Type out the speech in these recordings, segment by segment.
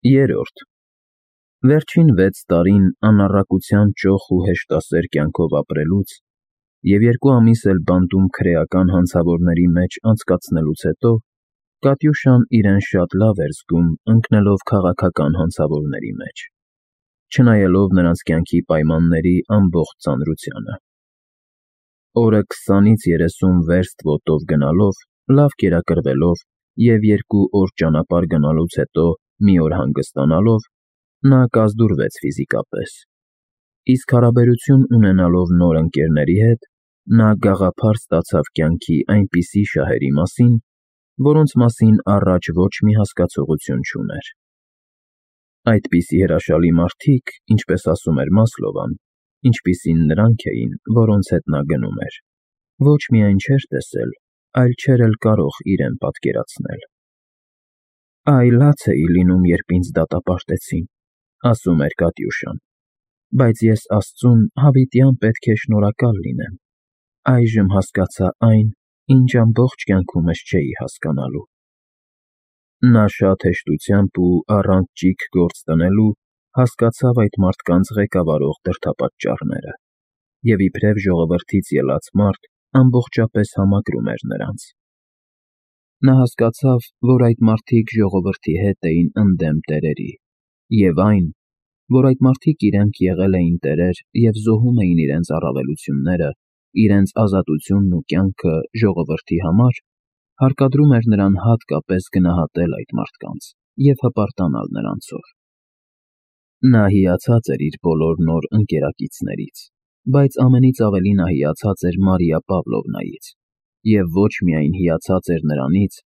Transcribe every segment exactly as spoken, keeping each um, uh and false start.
Երրորդ Վերջին վեց տարին անառակության ճոխ ու հեշտասեր կյանքով ապրելուց և երկու ամիս էլ բանտում քրեական հանցավորների մեջ անցկացնելուց հետո Կատյուշան իրեն շատ լավ էր զգում ընկնելով քաղաքական հանցավորների մեջ, չնայելով նրանց կյանքի պայմանների ամբողջ ծանրությանը։ Օրը քսանից երեսուն վերստ ոտով գնալով, լավ կերակրվելով և երկու օր ճանապարհ գնալուց հետո մի օր հանգստանալով, նա կազդուրվեց ֆիզիկապես, իսկ հարաբերություն ունենալով նոր ընկերների հետ, նա գաղափար ստացավ կյանքի այնպիսի շահերի մասին, որոնց մասին առաջ ոչ մի հասկացողություն չուներ։ Այդպիսի հրաշալի մարդիկ, ինչպես ասում էր Մասլովան, ինչպիսին նրանք էին, որոնց հետ նա գնում էր, ոչ միայն չէր տեսել, այլ չէր էլ կարող իրեն պատկերացնել։ «Այ լաց էի լինում, երբ ինձ դատապարտեցին», ասում էր Կատյուշան, «բայց ես Աստծուն հավիտյան պետք է շնորհակալ լինեմ, այժմ հասկացա այն, ինչ ամբողջ կյանքումս չէի հասկանալու»։ Նա շատ հեշտությամբ ու առանց ճիգ գործ դնելու հասկացավ այդ մարդկանց ղեկավարող դրդապատճառները և իբրև ժողովրդից ելած մարդ ամբողջապես համակրում էր նրանց։ Նա հասկացավ, որ այդ մարդիկ ժողովրդի հետ էին ընդդեմ տերերի, և այն, որ այդ մարդիկ իրենք եղել էին տերեր և զոհում էին իրենց առավելությունները, իրենց ազատությունն ու կյանքը ժողովրդի համար, հարկադրում էր նրան հատկապես գնահատել այդ մարդկանց և հպարտանալ նրանցով։ Նա հիացած էր իր բոլոր նոր ընկերակիցներից, բայց ամենից ավելի նա հիացած էր Մարիա Պավլովնայից, և ոչ միայն հիացած էր նրանից,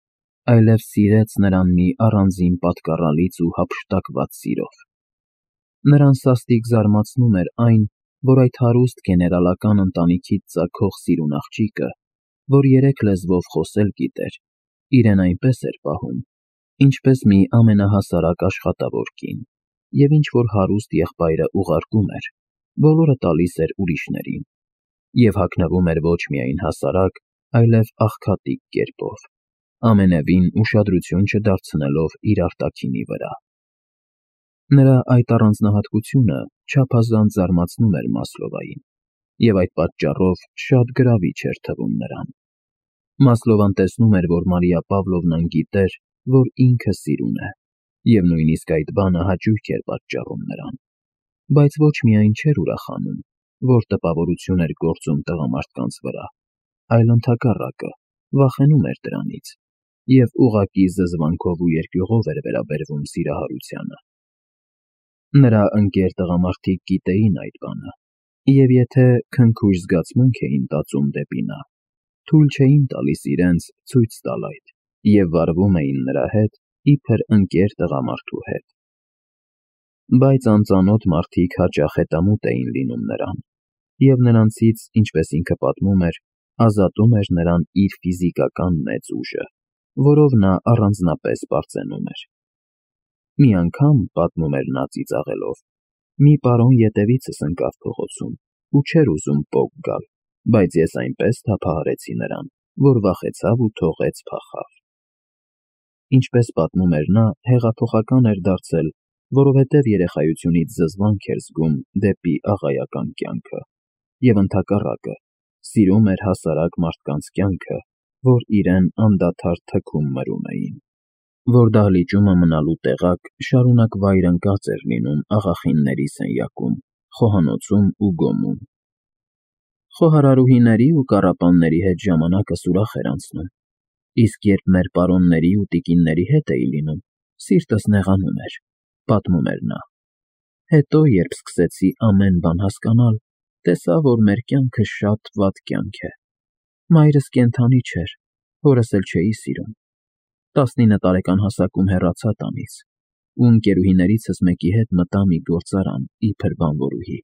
այլև սիրեց նրան մի առանձին պատկառալից ու հափշտակված սիրով։ Նրան սաստիկ զարմացնում էր այն, որ այդ հարուստ գեներալական ընտանիքից ծագող սիրուն աղջիկը, որ երեք լեզվով խոսել գիտեր, իրեն այնպես էր պահում, ինչպես մի ամենահասարակ աշխատավոր կին, և ինչ-որ հարուստ եղբայրը ուղարկում էր, բոլորը տալիս էր ուրիշներին, և հագնվում էր ոչ միայն հասարակ, այլև աղքատիկ կերպով, ամենևին ուշադրություն չդարձնելով իր արտաքինի վրա։ Նրա այդ առանձնահատկությունը չափազանց զարմացնում էր Մասլովային, և այդ պատճառով շատ գրավիչ էր թվում նրան։ Մասլովան տեսնում էր, որ Մարիա Պավլովնան գիտեր, որ ինքը սիրուն է, և նույնիսկ այդ բանը հաճույք էր պատճառում նրան, բայց ոչ միայն չէր ուրախանում, որ տպավորություն էր գործում տղամարդկանց վրա, այլ ընդհակառակը, վախենում էր դրանից և ուղղակի զզվանքով ու երկյուղով էր վերաբերվում սիրահարությանը։ Նրա ընկեր տղամարդիկ գիտեին այդ բանը, և եթե քնքուշ զգացմունք էին տածում դեպի նա, թույլ չէին տալիս իրենց ցույց տալ այդ և վարվում էին նրա հետ, իբր ընկեր տղամարդու հետ։ Բայց անծանոթ մարդիկ հաճախ հետամուտ էին լինում նրան, և նրանցից, ինչպես ինքը պատմում էր, ազատում էր նրան իր ֆիզիկական մեծ ուժը, որով նա առանձնապես պարծենում էր։ Մի անգամ, պատմում էր նա ծիծաղելով, մի պարոն ետևիցս ընկավ փողոցում ու չէր ուզում պոկ գալ, բայց ես այնպես թափահարեցի նրան, որ վախեցավ ու թողեց փախավ։ Ինչպես պատմում էր նա, հեղափոխական էր դարձել, որովհետև երեխայությունից զզվանք էր զգում դեպի աղայական կյանքը, և ընդհակառակը, սիրում էր հասարակ մարդկանց կյանքը, որ իրեն անդադար թքում մրում էին, որ դահլիճումը մնալու տեղակ շարունակ վայր ընկած էր լինում աղախինների սենյակում, խոհանոցում ու գոմում։ Խոհարարուհիների ու կառապանների հետ ժամանակս ուրախ էր անցնում, իսկ երբ մեր պարոնների ու տիկինների հետ էի լինում, սիրտս նեղանում էր, պատմում էր նա։ Հետո, երբ սկսեցի ամեն բան հասկանալ, տեսա, որ մեր կյանքը շատ վատ կյանք է։ Մայրս կենդանի չէր, հորս էլ չէի սիրում։ տասնինը տարեկան հասակում հեռացա տանից ու ընկերուհիներիցս մեկի հետ մտա մի գործարան իբր բանվորուհի։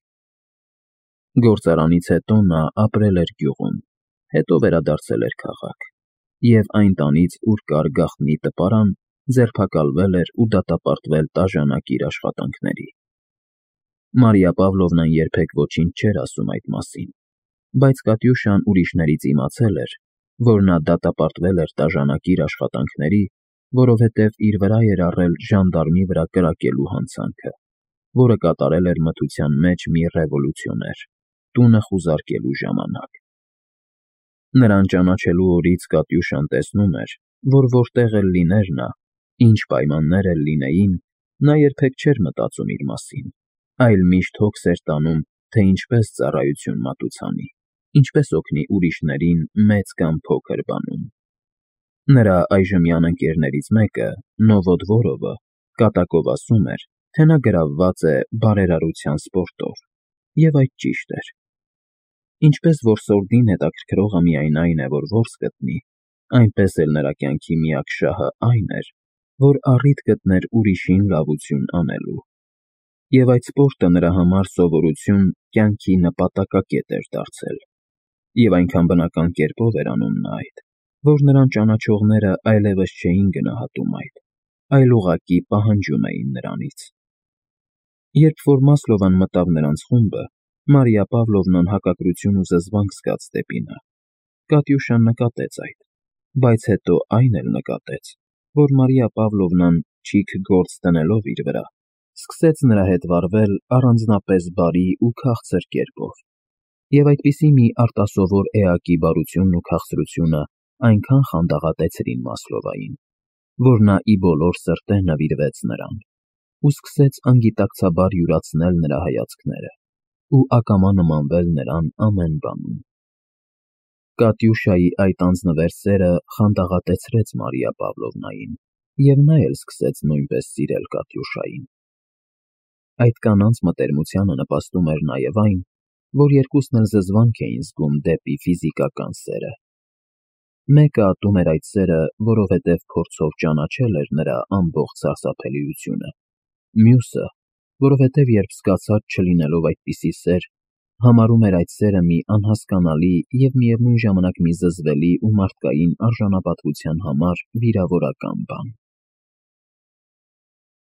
Գործարանից հետո նա ապրել էր գյուղում, հետո վերադարձել էր քաղաք, և այն տանից, ուր կար գաղտնի տպարան, ձերբակալվել էր ու դատապարտվել տաժանակ իր աշխատանքների։ Մարիա Պավլովնան երբեք ոչինչ չէր ասում այդ մասին, բայց Կատյուշան ուրիշներից իմացել էր, որ նա դատապարտվել էր տաժանակ իր աշխատանքների որովհետև իր վրա էր առել ժանդարմի վրա կրակելու հանցանքը, որը կատարել էր մթության մեջ մի ռևոլյուցիոներ՝ տունը խուզարկելու ժամանակ։ Նրան ճանաչելու օրից Կատյուշան տեսնում էր, որ որտեղ էլ լիներ նա, ինչ պայմաններ էլ լինեին, նա երբեք չէր մտածում իր մասին, այլ միշտ հոգս էր տանում, թե ինչպես ծառայություն մատուցանի, ինչպես օգնի ուրիշներին մեծ կամ փոքր բանում։ Նրա այժմյան ընկերներից մեկը՝ Նովոդվորովը, կատակով ասում էր, թե նա գրավված է բարերարության սպորտով, և այդ ճիշտ էր։ Ինչպես որ սորդին հետաքրքրողը միայն այն է, որ որս գտնի, այնպես էլ նրա կյանքի միակ շահը այն էր, որ առիթ գտներ ուրիշին լավություն անելու։ Եվ այդ սպորտը նրա համար սովորություն կյանքի նպատակակետ էր դարձել, և այնքան բնական կերպով էր անում նա այդ, որ նրան ճանաչողները այլևս չէին գնահատում այդ, այլ ուղղակի պահանջում էին նրանից։ Երբ որ Մասլովան մտավ նրանց խումբը, Մարիա Պավլովնան հակակրություն ու զզվանք զգաց դեպի նա։ Կատյուշան նկատեց այդ, բայց հետո այն էլ նկատեց, որ Մարիա Պավլովնան, չիք գործ դնելով իր վրա, սկսեց նրա հետ վարվել առանձնապես բարի ու քաղցր կերպով, և այդպիսի մի արտասովոր էակի բարությունն ու քաղցրությունը այնքան խանդաղատեցրին Մասլովային, որ նա ի բոլոր սրտե նվիրվեց նրան ու սկսեց անգիտակցաբար յուրացնել նրա հայացքները ու ակամա նմանվել նրան ամեն բանում։ Կատյուշայի այդ անձնվեր սերը խանդաղատեցրեց Մարիա Պավլովնային, և նա էլ սկսեց նույնպես սիրել Կատյուշային։ Այդ կանանց մտերմությանը նպաստում էր նաև այն, որ երկուսն էլ զզվանք էին զգում դեպի ֆիզիկական սերը։ Մեկը ատում էր այդ սերը, որովհետև փորձով ճանաչել էր նրա ամբողջ սարսափելիությունը, մյուսը, որովհետև երբ զգացած չլինելով այդպիսի սեր, համարում էր այդ սերը մի անհասկանալի և միևնույն ժամանակ մի զզվելի ու մարդկային արժանապատվության համար վիրավորական բան։